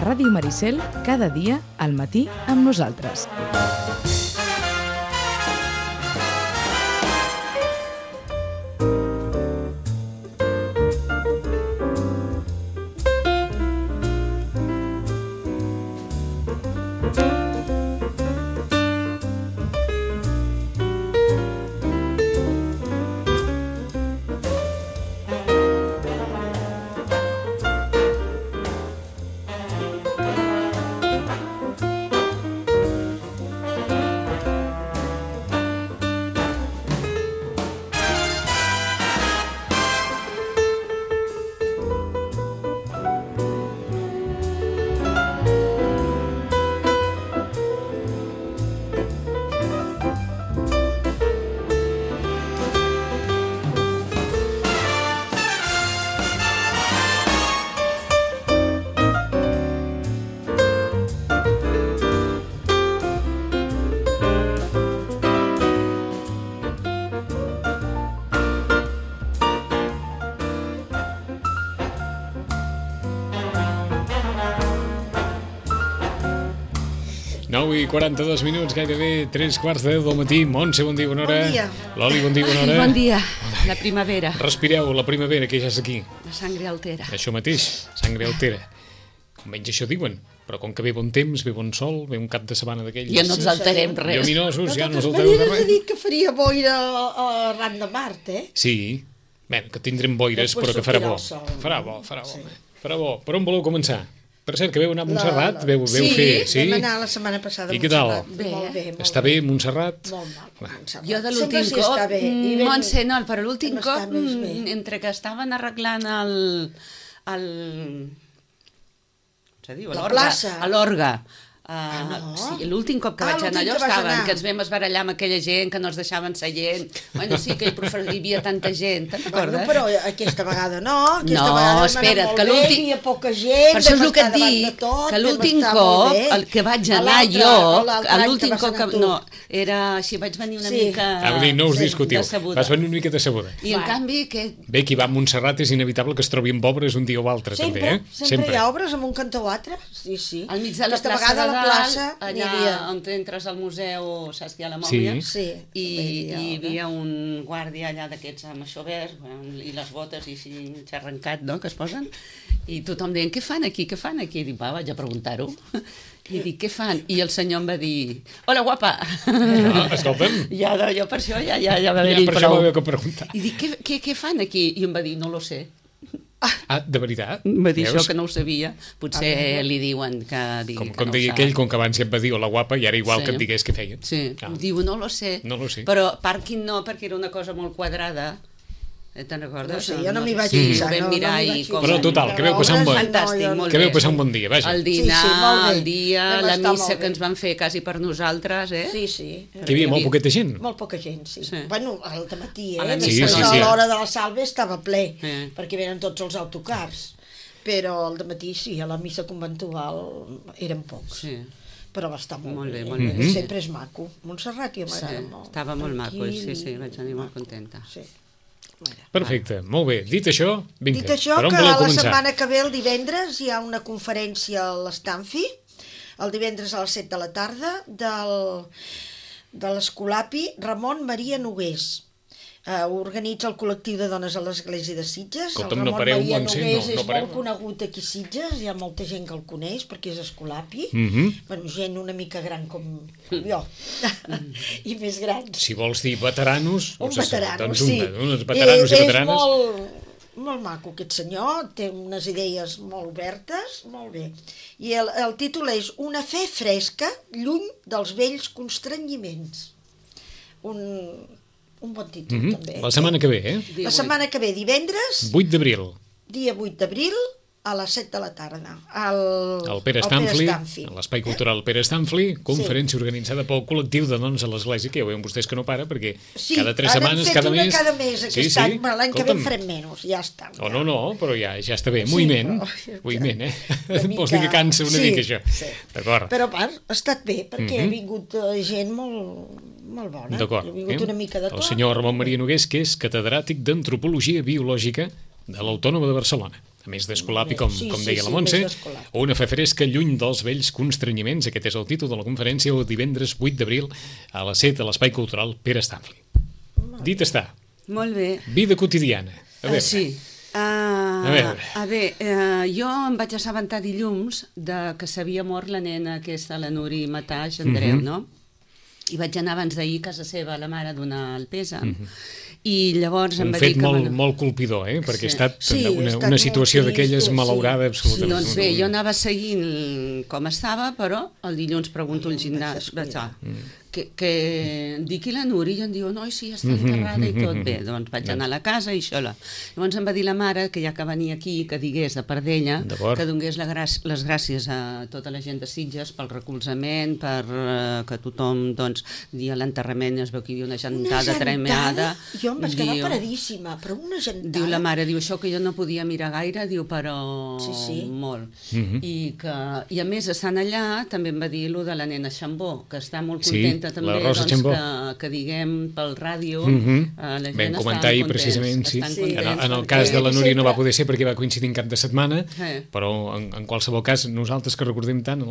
Ràdio Maricel, cada dia al matí amb nosaltres. I 42 minuts, gairebé 3:15 del matí. Montse, bon dia, bona hora. Bon dia. Loli, bon dia, bona hora. Bon dia. La primavera. Respireu, la primavera, que ja és aquí. La sangre altera. Això mateix, sangre altera. Almenys això diuen. Però com que ve bon temps, ve bon sol, ve un cap de setmana d'aquells... Ja no ens alterem res. Lluminosos, ja no ens alterem alterem res. He dit que faria boira arran de Mart, eh? Sí. Bé, que tindrem boires, però que farà bo. Farà bo. Farà bo. Per on voleu començar? Per cert, que veu anar a Montserrat, veu fer... Sí, vam anar la setmana passada a Montserrat. I què tal? Molt bé. Està bé, Montserrat? Molt mal, Montserrat. Jo de l'últim cop, Montse, no, però l'últim cop, entre que estaven arreglant la plaça. A l'orga. Sí, l'últim cop que vaig anar allò que ens vam esbarallar amb aquella gent, que no es deixaven seient. Bueno, sí, que hi havia tanta gent, te'n recordes? Bueno, però aquesta vegada no. No, espera't, que l'últim... Hi havia poca gent, per això és el que et dic, que l'últim cop, el que vaig anar jo, l'últim cop que... No, era així, vaig venir una mica... No us discutiu, vas venir una mica decebuda. I en canvi, que... Bé, qui va a Montserrat és inevitable que es trobi amb obres un dia o altre, també, eh? Sempre hi ha obres amb un cantó o altre, sí. Al mig de la plaça de plaça, allà on entres al museu, saps que hi ha la mòmia? Sí. I hi havia un guàrdia allà d'aquests amb això verd, i les botes i així xarrencat, no?, que es posen, i tothom deien, què fan aquí? I dic, va, vaig a preguntar-ho. I dic, què fan? I el senyor em va dir, hola, guapa. Escolta'm. Jo per això ja va haver-hi prou. Per això m'havia que preguntar. I dic, què fan aquí? I em va dir, no lo sé. De veritat? Va dir això, que no ho sabia. Potser li diuen que digui que no ho sap. Com deia aquell, com que abans ja et va dir hola guapa, i ara igual que et digués què feien. Sí, diu no lo sé. Però pàrquing no, perquè era una cosa molt quadrada. Te'n recordes? No sé, jo no m'hi vaig fixar. Però total, que veu passar un bon dia. Que veu passar un bon dia, vaja. El dinar, el dia, la missa que ens van fer quasi per nosaltres, eh? Sí. Que hi havia molt poqueta gent. Molt poca gent, sí. Bueno, al dematí, eh? A l'hora de la salve estava ple, perquè venen tots els autocars. Però al dematí sí, a la missa conventual eren pocs. Sí. Però va estar molt bé. Sempre és maco. Montserrat ja m'agrada molt. Estava molt maco, sí, vaig anar molt contenta. Sí. Perfecte, molt bé. Dit això, vinga, dit això, per on que voleu la començar? setmana que ve, el divendres, hi ha una conferència a l'Stanfi, el divendres a les 7 de la tarda, de l'Escolapi Ramon Maria Nogués. Organitza el col·lectiu de dones a l'Església de Sitges. Escolta'm, el no pareu, Maria Montse, Nogués no és pareu. molt conegut aquí a Sitges, hi ha molta gent que el coneix perquè és escolapi. Bueno, gent una mica gran com jo, i més grans. Si vols dir veteranos... Un veterano, doncs sí. Uns veteranos i veteranes. És molt maco aquest senyor, té unes idees molt obertes, molt bé. I el títol és Una fe fresca, lluny dels vells constrenyiments. Un bon títol, també. La setmana que ve, eh? La setmana que ve, divendres... 8 d'abril. Dia 8 d'abril, a les 7 de la tarda. El Pere Stanfli, a l'Espai Cultural Pere Stanfli, conferència organitzada pel col·lectiu de dones a l'Església, que ja veuen vostès que no para, perquè cada 3 setmanes, cada mes... Sí, cada mes aquest any, però l'any que ve en farem menys, ja està. No, però ja està bé. Moviment, vols dir que cansa una mica, això. D'acord. Però a part, ha estat bé, perquè ha vingut gent molt bona. D'acord. Ha vingut una mica de tot. El senyor Ramon Maria Nogués, que és catedràtic d'Antropologia Biològica de l'Autònoma de Barcelona. A més d'Escolapi, com deia la Montse, o una fe fresca lluny dels vells constrenyiments. Aquest és el títol de la conferència, el divendres 8 d'abril a les 7 a l'Espai Cultural Pere Stanfli. Dit està. Molt bé. Vida quotidiana. A veure. Sí. Jo em vaig assabentar dilluns que s'havia mort la nena aquesta, la Nuri Mataix Andreu, no? I vaig anar abans d'ahir a casa seva, a la mare, a donar el pèsam. I llavors em va dir que... Un fet molt colpidor, perquè ha estat una situació d'aquelles malaurada absolutament. Doncs bé, jo anava seguint com estava, però el dilluns pregunto al gimnàs, que dic, i la Nuri? I em diu, no, sí, està enterrada i tot. Bé, doncs vaig anar a la casa i això. Llavors em va dir la mare que ja que venia aquí, que digués de part d'ella, que donés les gràcies a tota la gent de Sitges pel recolzament, per que tothom, doncs, dia l'enterrament es veu que hi havia una gentada tremenda. Jo em vaig quedar paradíssima, però una gentada. Diu la mare, diu això que jo no podia mirar gaire, diu, però molt. I a més, estant allà, també em va dir allò de la nena Xambó, que està molt contenta també, que diguem pel ràdio, la gent vam comentar ahir precisament, en el cas de la Núria no va poder ser perquè va coincidir en cap de setmana, però en qualsevol cas nosaltres que recordem tant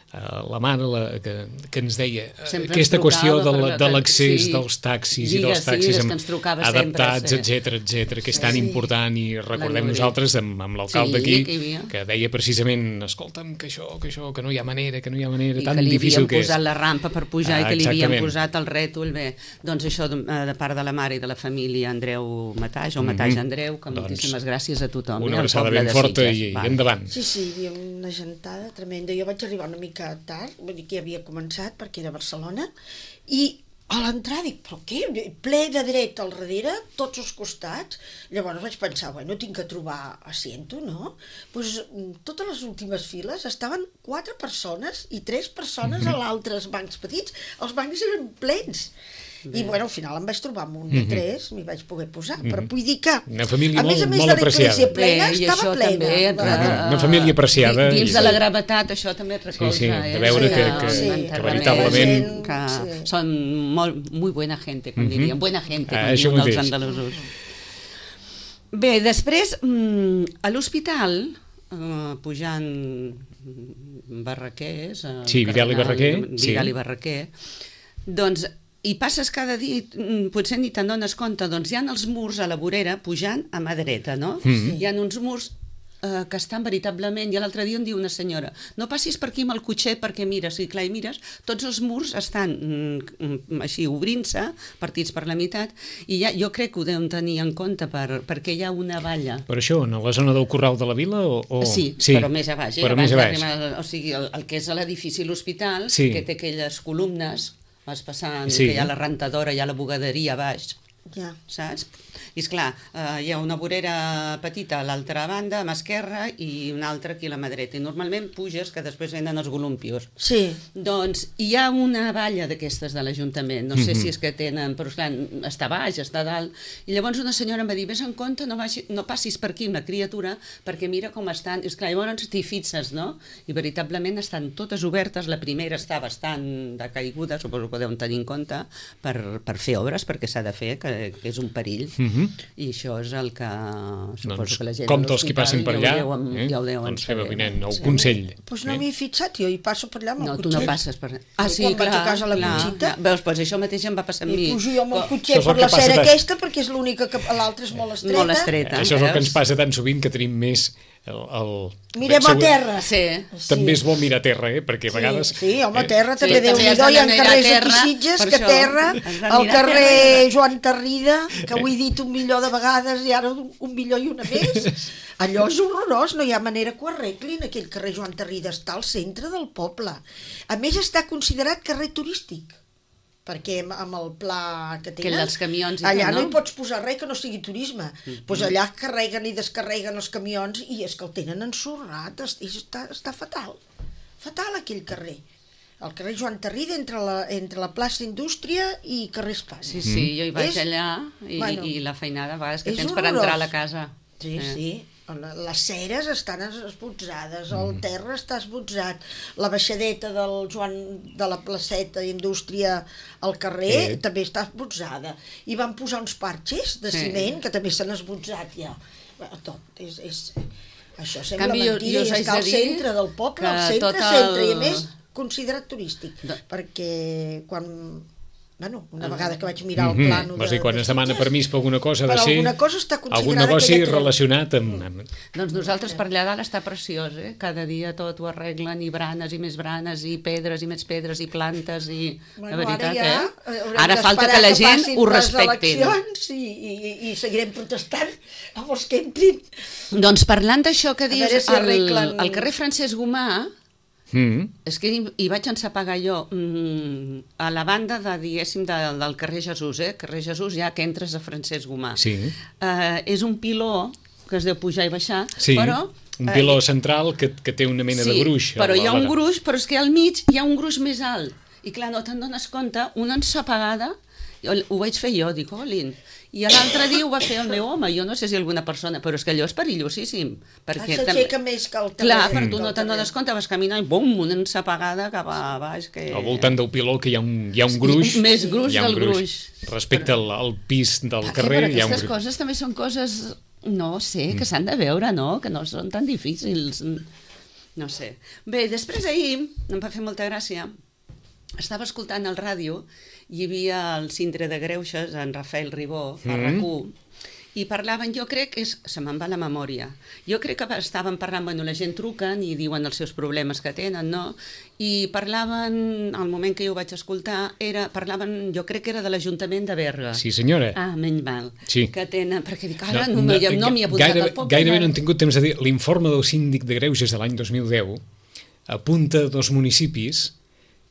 la mare que ens deia aquesta qüestió de l'accés dels taxis i dels taxis adaptats, etc., que és tan important, i recordem nosaltres amb l'alcalde aquí que deia precisament, escolta'm, que això, que no hi ha manera, tan difícil que és. I que li havien posat la rampa per pujar i que li havien posat el rètol. Bé, doncs això de part de la mare i de la família Andreu Mataix, o Mataix Andreu, que moltíssimes gràcies a tothom. Una abraçada ben forta i endavant. Sí, hi havia una gentada tremenda. Jo vaig arribar una mica tard, vull dir que ja havia començat perquè era a Barcelona, i a l'entrada dic, però què? Ple de dret al darrere, tots els costats. Llavors vaig pensar, bueno, tinc que trobar asiento, no? Doncs totes les últimes files estaven 4 persones i 3 persones a l'altres bancs petits. Els bancs eren plens. I bueno, al final em vaig trobar amb un de 3, m'hi vaig poder posar, però vull dir que una família molt apreciada. A més de l'església plena, estava plena. Una família apreciada. Dins de la gravetat, això també et recolza. Sí, de veure que veritablement... Que són muy buena gente, com diríem. Buena gente, com diuen els andalusos. Bé, després, a l'hospital, pujant Barraquers... Sí, Vidal i Barraquer. Vidal i Barraquer. Doncs i passes cada dia, potser ni te'n dones compte, doncs hi ha els murs a la vorera pujant a mà dreta, no? Hi ha uns murs que estan veritablement, i l'altre dia em diu una senyora, no passis per aquí amb el cotxet perquè mires, i clar, i mires, tots els murs estan així obrint-se, partits per la meitat, i jo crec que ho deuen tenir en compte perquè hi ha una valla. Per això, en la zona del Corral de la Vila? Sí, però més a baix. O sigui, el que és l'edifici l'hospital, que té aquelles columnes, vas passant, que hi ha la rentadora, hi ha la bugaderia a baix, saps? I esclar, hi ha una vorera petita a l'altra banda, a mà esquerra, i una altra aquí a la mà dreta. I normalment puges, que després venen els golumpios. Sí. Doncs hi ha una valla d'aquestes de l'Ajuntament, no sé si és que tenen, però esclar, està baix, està dalt, i llavors una senyora em va dir, vés en compte, no passis per aquí amb la criatura, perquè mira com estan, i esclar, llavors t'hi fixes, no? I veritablement estan totes obertes, la primera està bastant decaiguda, suposo que deuen tenir en compte, per fer obres, perquè s'ha de fer, que és un perill. I això és el que suposo que la gent com tots qui passen per allà ja ho deuen doncs fem avinent el consell. Doncs no m'hi he fixat, jo hi passo per allà amb el cotxet. No, tu no passes per allà. Sí, quan vaig a casa a la Conxita. Veus, doncs això mateix em va passar amb mi. I pujo jo amb el cotxet per la cera aquesta perquè és l'única que l'altra és molt estreta. Molt estreta. Això és el que ens passa tan sovint, que tenim més mirem a terra. També és bo mirar a terra, perquè a vegades... Sí, home, a terra també Déu-n'hi-do, hi ha carrers aquí Sitges que terra, el carrer Joan Tarrida, que ho he dit 1 milió de vegades i ara 1 milió i una més, allò és horrorós, no hi ha manera que ho arreglin. Aquell carrer Joan Tarrida està al centre del poble, a més està considerat carrer turístic. perquè amb el pla que tenen, els camions allà no hi pots posar res que no sigui turisme. Doncs allà carreguen i descarreguen els camions i és que el tenen ensorrat, està fatal. Fatal aquell carrer. El carrer Joan Tarrida entre la plaça Indústria i carrer Espanya. Sí, jo hi vaig allà i la feinada a vegades que tens per entrar a la casa. Sí. Les ceres estan esbotzades, el terra està esbotzat, la baixadeta de la placeta d'Indústria al carrer també està esbotzada. I van posar uns parxes de ciment que també s'han esbotzat ja. Tot, això sembla mentida i està al centre del poble, al centre, i a més considerat turístic, perquè quan... una vegada que vaig mirar el plano quan es demana permís per alguna cosa ha de ser algun negoci relacionat amb... Doncs nosaltres per allà dalt està preciós, cada dia tot ho arreglen, i branes i més branes, i pedres i més pedres, i plantes, i la veritat, ara falta que la gent ho respecti. I seguirem protestant amb els que entrin. Doncs parlant d'això que dius, al carrer Francesc Gomà, és que hi vaig ensapagar jo a la banda del carrer Jesús, carrer Jesús ja que entres a Francesc Gomà. És un piló que es deu pujar i baixar, però... Un piló central que té una mena de gruix. Però hi ha un gruix, però és que al mig hi ha un gruix més alt. I clar, no te'n dones compte, una ensapagada, ho vaig fer jo, dic, olin. I l'altre dia ho va fer el meu home, jo no sé si alguna persona, però és que allò és perillosíssim. S'aixeca més que el terreny. Clar, però tu no te'n dones compte, vas caminant i bum, una ensapagada cap a baix. Al voltant del piló que hi ha un gruix. Més gruix del gruix. Respecte al pis del carrer hi ha un gruix. Aquestes coses també són coses, no sé, que s'han de veure, no? Que no són tan difícils. No sé. Bé, després ahir, em va fer molta gràcia, estava escoltant el ràdio, hi havia el Sindre de Greuges, en Rafael Ribó, a RAC1, i parlaven, jo crec que se me'n va la memòria, jo crec que estaven parlant, la gent truquen i diuen els seus problemes que tenen, no? I parlaven, al moment que jo ho vaig escoltar, parlaven, jo crec que era de l'Ajuntament de Berga. Sí, senyora. Menys mal. Que tenen, perquè dic, ara no m'hi ha apuntat al poble. Gairebé no han tingut temps de dir, l'informe del síndic de Greuges de l'any 2010 apunta dos municipis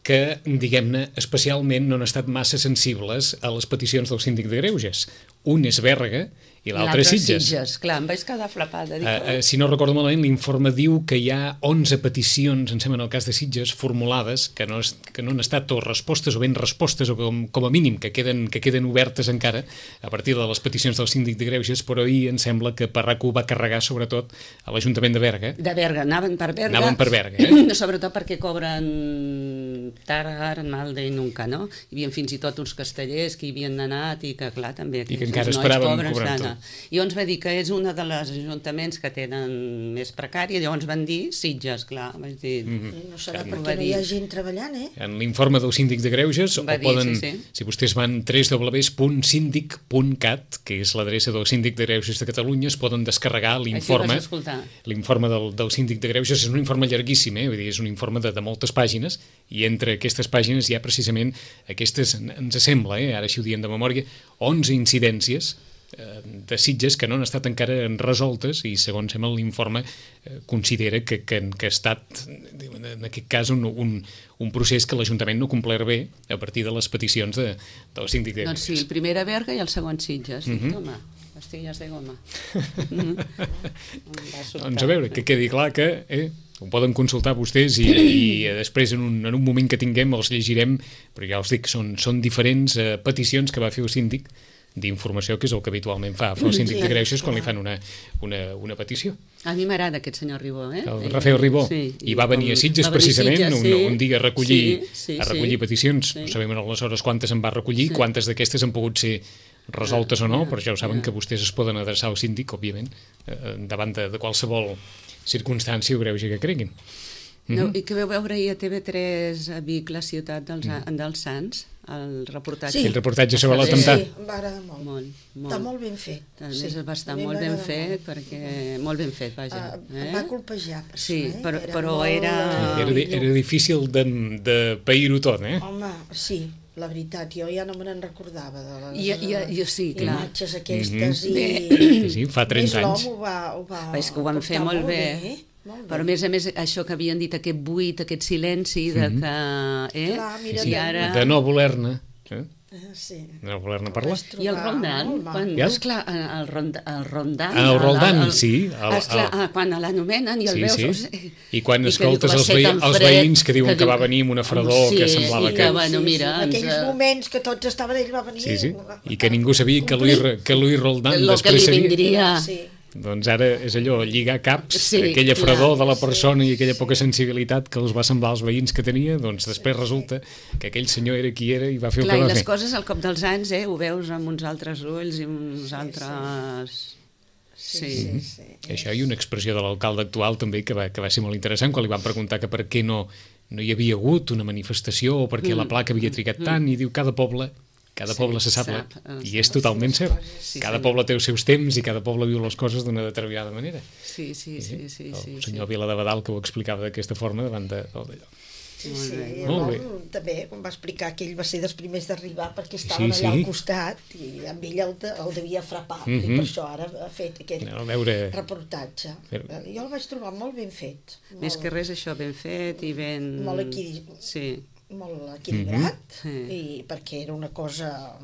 que, diguem-ne, especialment no han estat massa sensibles a les peticions del síndic de Greuges. Un és Berga i l'altre és Sitges. Clar, em vaig quedar flapada. Si no recordo malament, l'informe diu que hi ha 11 peticions, em sembla en el cas de Sitges, formulades, que no han estat o respostes o ben respostes, o com a mínim que queden obertes encara a partir de les peticions del síndic de Greuges, però ahir em sembla que RAC1 va carregar sobretot a l'Ajuntament de Berga. De Berga, anaven per Berga. Anaven per Berga, Sobretot perquè cobren tard, mal de nunca, no? Hi havia fins i tot uns castellers que hi havien anat i que, clar, també... I que encara esperaven cobrar tot. I llavors va dir que és una de les ajuntaments que tenen més precària, llavors van dir Sitges, clar, vaig dir... No serà perquè no hi ha gent treballant, En l'informe del síndic de Greuges, si vostès van www.sindic.cat, que és l'adreça del síndic de Greuges de Catalunya, es poden descarregar l'informe. L'informe del síndic de Greuges és un informe llarguíssim, vull dir, és un informe de moltes pàgines, i entre aquestes pàgines hi ha precisament aquestes, ens sembla, ara així ho diem de memòria, 11 incidències de Sitges que no han estat encara resoltes i segons sembla l'informe considera que ha estat en aquest cas un procés que l'Ajuntament no ha complert bé a partir de les peticions del síndic de Greuges. Doncs sí, el primer a Berga i el segon Sitges. Home, pastilles de goma. Doncs a veure, que quedi clar que ho poden consultar vostès i després en un moment que tinguem els llegirem, però ja us dic, són diferents peticions que va fer el síndic d'informació, que és el que habitualment fa el síndic de Greuges quan li fan una petició. A mi m'agrada aquest senyor Ribó, El Rafael Ribó. I va venir a Sitges precisament un dia a recollir peticions. No sabem aleshores quantes en va recollir, quantes d'aquestes han pogut ser resoltes o no, però ja ho saben que vostès es poden adreçar al síndic, òbviament, davant de qualsevol circumstància o greuge que creguin. I que vau veure ahir a TV3 a Vic, la ciutat dels Sants, el reportatge. Sí, el reportatge sobre l'atemptat. Sí, m'agrada molt. Està molt ben fet. Va estar molt ben fet, perquè... Molt ben fet, vaja. Va colpejar, sí, però era... Era difícil de pair-ho tot, Home, sí. La veritat, jo ja no me n'en recordava de les imatges aquestes Sí, fa 30 anys. L'home ho va és que ho van fer molt bé. Però a més, això que havien dit, aquest buit, aquest silenci de que... De no voler-ne. Sí. No voler-ne parlar. I el Roldán, esclar, el Roldán... El Roldán, sí. Esclar, quan l'anomenen i el veus... I quan escoltes els veïns que diuen que va venir amb una fredor que semblava que... Aquells moments que tots estaven, ell va venir... Sí. I que ningú sabia que Luis Roldán després seria... Doncs ara és allò, lligar caps, aquella fredor de la persona i aquella poca sensibilitat que els va semblar als veïns que tenia, doncs després resulta que aquell senyor era qui era i va fer el que va fer. I les coses al cop dels anys, ho veus amb uns altres ulls i uns altres... Sí. Això i una expressió de l'alcalde actual també que va ser molt interessant quan li van preguntar que per què no hi havia hagut una manifestació o per què la placa havia trigat tant, i diu cada poble se sap, i és totalment cert. Cada poble té els seus temps i cada poble viu les coses d'una determinada manera. Sí. El senyor Vila de Badal que ho explicava d'aquesta forma davant d'allò. Sí, també quan va explicar que ell va ser dels primers d'arribar perquè estaven allà al costat i amb ell el devia frapar, i per això ara ha fet aquell reportatge. Jo el vaig trobar molt ben fet. Més que res això, ben fet i ben... Molt equilibrat, i perquè era una cosa...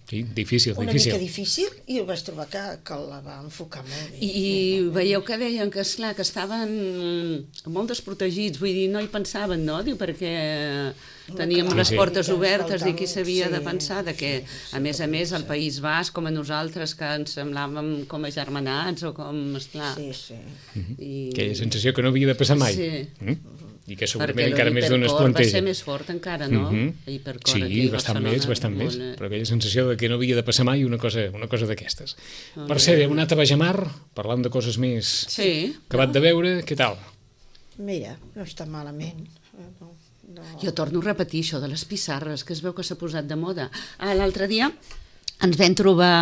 difícil. Una mica difícil, i ho vaig trobar que la va enfocar molt bé. I veieu que deien que, esclar, que estaven molt desprotegits, vull dir, no hi pensaven, no? Diu, perquè teníem les portes obertes i qui s'havia de pensar que, a més, el País Basc, com a nosaltres, que ens semblàvem com agermanats o com, esclar... Aquella sensació que no havia de passar mai. I que segurament encara més d'un es planteja. Va ser més fort encara, no? Sí, bastant més, però aquella sensació de que no havia de passar mai una cosa d'aquestes. Per cert, hem anat a Bajamar, parlant de coses més acabat de veure, què tal? Mira, no està malament. Jo torno a repetir això de les pissarres, que es veu que s'ha posat de moda. L'altre dia ens vam trobar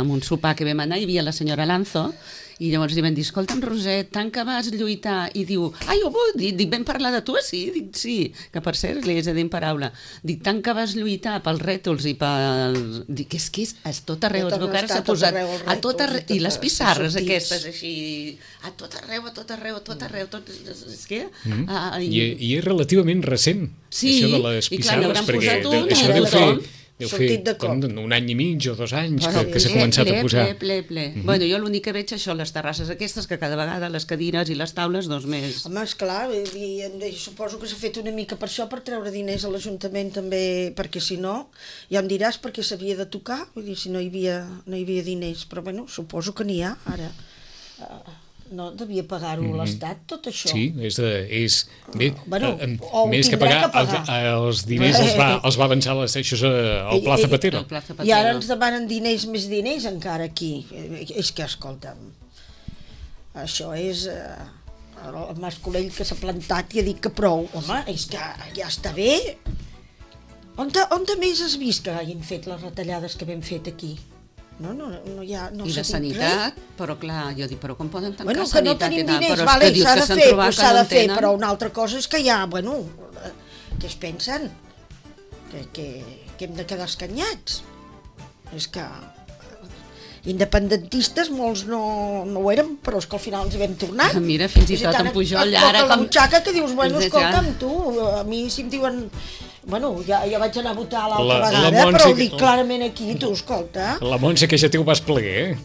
en un sopar que vam anar, hi havia la senyora Lanzo, i llavors li vam dir, escolta'm, Roset, tant que vas lluitar, i diu, dic, vam parlar de tu, sí? Dic, sí, que per cert li haig de dir en paraula. Dic, tant que vas lluitar pels rètols i pel... Dic, és que és tot arreu, es veu que ara s'ha posat a tot arreu, i les pissarres aquestes així, a tot arreu, és que... I és relativament recent, això de les pissarres, perquè això deu fer... Deu fer un any i mig o 2 anys que s'ha començat a posar. Ple. Bueno, jo l'únic que veig això, les terrasses aquestes, que cada vegada les cadires i les taules, més... Home, esclar, suposo que s'ha fet una mica per això, per treure diners a l'Ajuntament també, perquè si no, ja em diràs perquè s'havia de tocar, vull dir, si no hi havia diners, però bueno, suposo que n'hi ha, ara... No devia pagar-ho l'Estat, tot això. Sí, més que pagar els diners els va avançar el Pla Zapatero. I ara ens demanen més diners encara aquí. És que, escolta'm, això és el Mas Colell que s'ha plantat i ha dit que prou. Home, és que ja està bé. On més has vist que hagin fet les retallades que hem fet aquí? No hi ha... I la sanitat, però clar, jo dic, però com poden tancar sanitat? Bueno, que no tenim diners, s'ha de fer, però una altra cosa és que hi ha, què es pensen? Que hem de quedar escanyats. És que independentistes molts no ho érem, però és que al final ens hi vam tornar. Mira, fins i tot en Pujol, ara com... la butxaca que dius, escolta'm, tu, a mi si em diuen... ja vaig anar a votar l'altra vegada, però ho dic clarament aquí, tu, escolta. La Montse, que ja té el vas ple,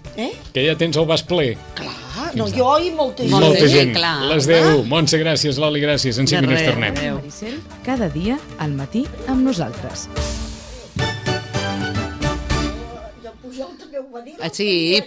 que ja tens el vas ple. Clar, jo i molta gent. Molta gent, les 10. Montse, gràcies, Loli, gràcies. En 5 minuts tornem. Maricel, cada dia al matí amb nosaltres. I el Pujol també ho va dir. Sí,